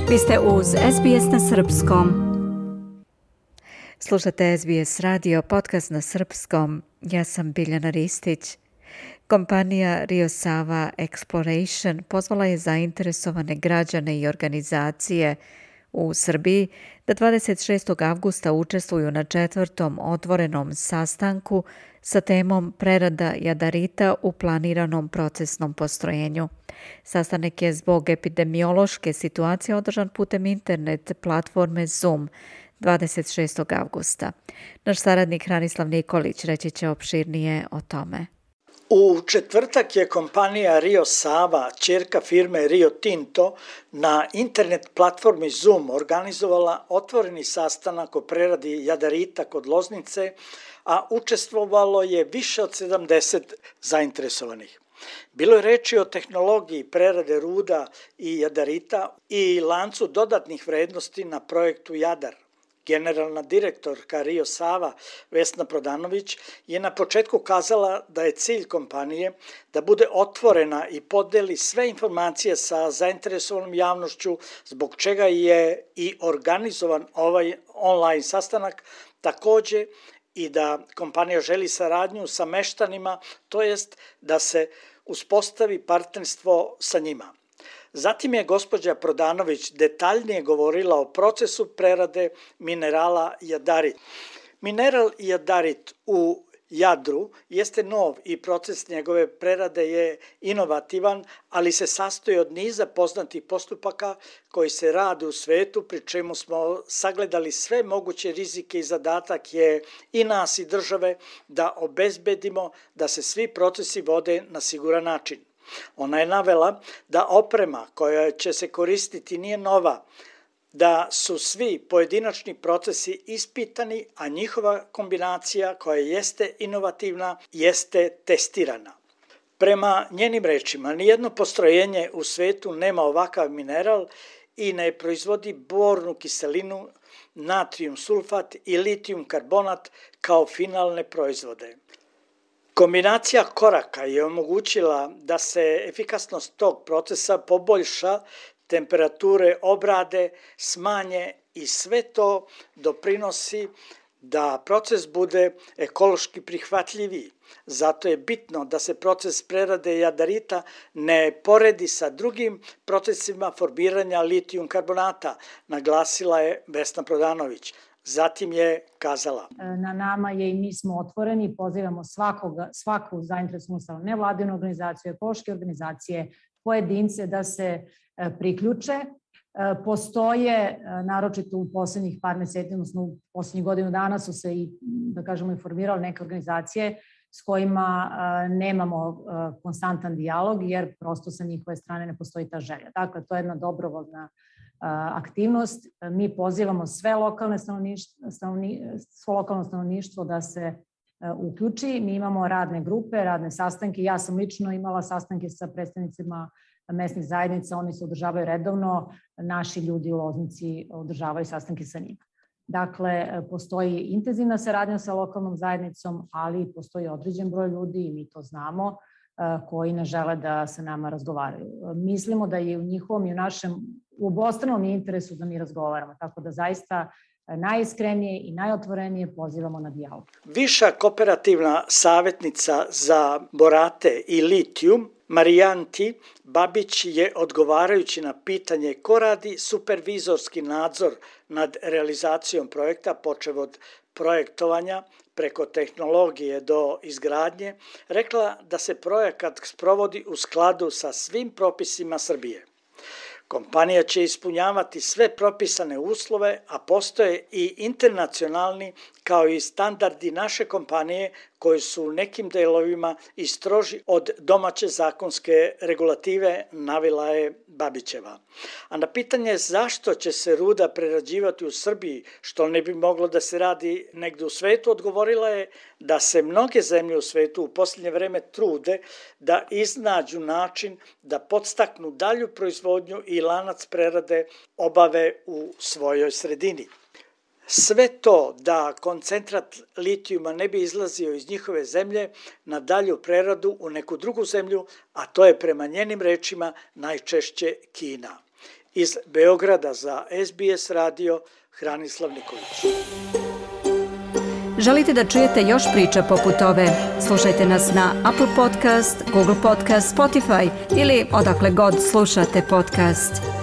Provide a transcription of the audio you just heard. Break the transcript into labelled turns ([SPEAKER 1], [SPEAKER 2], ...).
[SPEAKER 1] Vi ste uz SBS na srpskom. Slušate SBS radio, podcast na srpskom. Ja sam Biljana Ristić. Kompanija Rio Sava Exploration pozvala je zainteresovane građane i organizacije u Srbiji da 26. avgusta učestvuju na 4. otvorenom sastanku sa temom prerada jadarita u planiranom procesnom postrojenju. Sastanak je zbog epidemiološke situacije održan putem internet platforme Zoom 26. avgusta. Naš saradnik Hranislav Nikolić reći će opširnije o tome.
[SPEAKER 2] U četvrtak je kompanija Rio Sava, ćerka firme Rio Tinto, na internet platformi Zoom organizovala otvoreni sastanak o preradi jadarita kod Loznice, a učestvovalo je više od 70 zainteresovanih. Bilo je reči o tehnologiji prerade ruda i jadarita i lancu dodatnih vrednosti na projektu Jadar. Generalna direktorka Rio Sava Vesna Prodanović je na početku kazala da je cilj kompanije da bude otvorena i podeli sve informacije sa zainteresovanom javnošću, zbog čega je i organizovan ovaj online sastanak, takođe i da kompanija želi saradnju sa meštanima, to jest da se uspostavi partnerstvo sa njima. Zatim je gospođa Prodanović detaljnije govorila o procesu prerade minerala jadarit. Mineral jadarit u Jadru jeste nov i proces njegove prerade je inovativan, ali se sastoji od niza poznatih postupaka koji se rade u svetu, pri čemu smo sagledali sve moguće rizike i zadatak je i nas i države da obezbedimo da se svi procesi vode na siguran način. Ona je navela da oprema koja će se koristiti nije nova, da su svi pojedinačni procesi ispitani, a njihova kombinacija koja jeste inovativna jeste testirana. Prema njenim rečima, nijedno postrojenje u svetu nema ovakav mineral i ne proizvodi bornu kiselinu, natrijum sulfat i litijum karbonat kao finalne proizvode. Kombinacija koraka je omogućila da se efikasnost tog procesa poboljša, temperature obrade smanje i sve to doprinosi da proces bude ekološki prihvatljiviji. Zato je bitno da se proces prerade jadarita ne poredi sa drugim procesima formiranja litijum karbonata, naglasila je Vesna Prodanović. Zatim je kazala:
[SPEAKER 3] Na nama je i mi smo otvoreni, pozivamo svaku zainteresovanu stranu, nevladinu organizaciju, ekološke organizacije, pojedince da se priključe. Postoje, naročito u poslednjih par meseci, odnosno u poslednjih godinu dana su se i, da kažemo, informirale neke organizacije s kojima nemamo konstantan dijalog, jer prosto sa njihove strane ne postoji ta želja. Dakle, to je jedna dobrovoljna aktivnost. Mi pozivamo sve lokalno stanovništvo da se uključi. Mi imamo radne grupe, radne sastanke. Ja sam lično imala sastanke sa predstavnicima mesnih zajednica, oni se održavaju redovno, naši ljudi u Loznici održavaju sastanke sa njima. Dakle, postoji intenzivna saradnja sa lokalnom zajednicom, ali postoji određen broj ljudi, i mi to znamo, koji ne žele da sa nama razgovaraju. Mislimo da je u njihovom i u našem u obostranom interesu da mi razgovaramo, tako da zaista najiskrenije i najotvorenije pozivamo na dijalog.
[SPEAKER 2] Viša kooperativna savjetnica za borate i litijum Marijanti Babić je, odgovarajući na pitanje ko radi supervizorski nadzor nad realizacijom projekta, počev od projektovanja preko tehnologije do izgradnje, rekla da se projekat sprovodi u skladu sa svim propisima Srbije. Kompanija će ispunjavati sve propisane uslove, a postoje i internacionalni kao i standardi naše kompanije koji su u nekim delovima i stroži od domaće zakonske regulative, navela je Babićeva. A na pitanje zašto će se ruda prerađivati u Srbiji, što ne bi moglo da se radi negde u svetu, odgovorila je da se mnoge zemlje u svetu u posljednje vreme trude da iznađu način da podstaknu dalju proizvodnju i lanac prerade obave u svojoj sredini. Sve to da koncentrat litijuma ne bi izlazio iz njihove zemlje na dalju preradu u neku drugu zemlju, a to je prema njenim rečima najčešće Kina. Iz Beograda za SBS radio Hranislav Nikolić.
[SPEAKER 1] Želite da čujete još priča poput ove? Slušajte nas na Apple Podcast, Google Podcast, Spotify ili odakle god slušate podcast.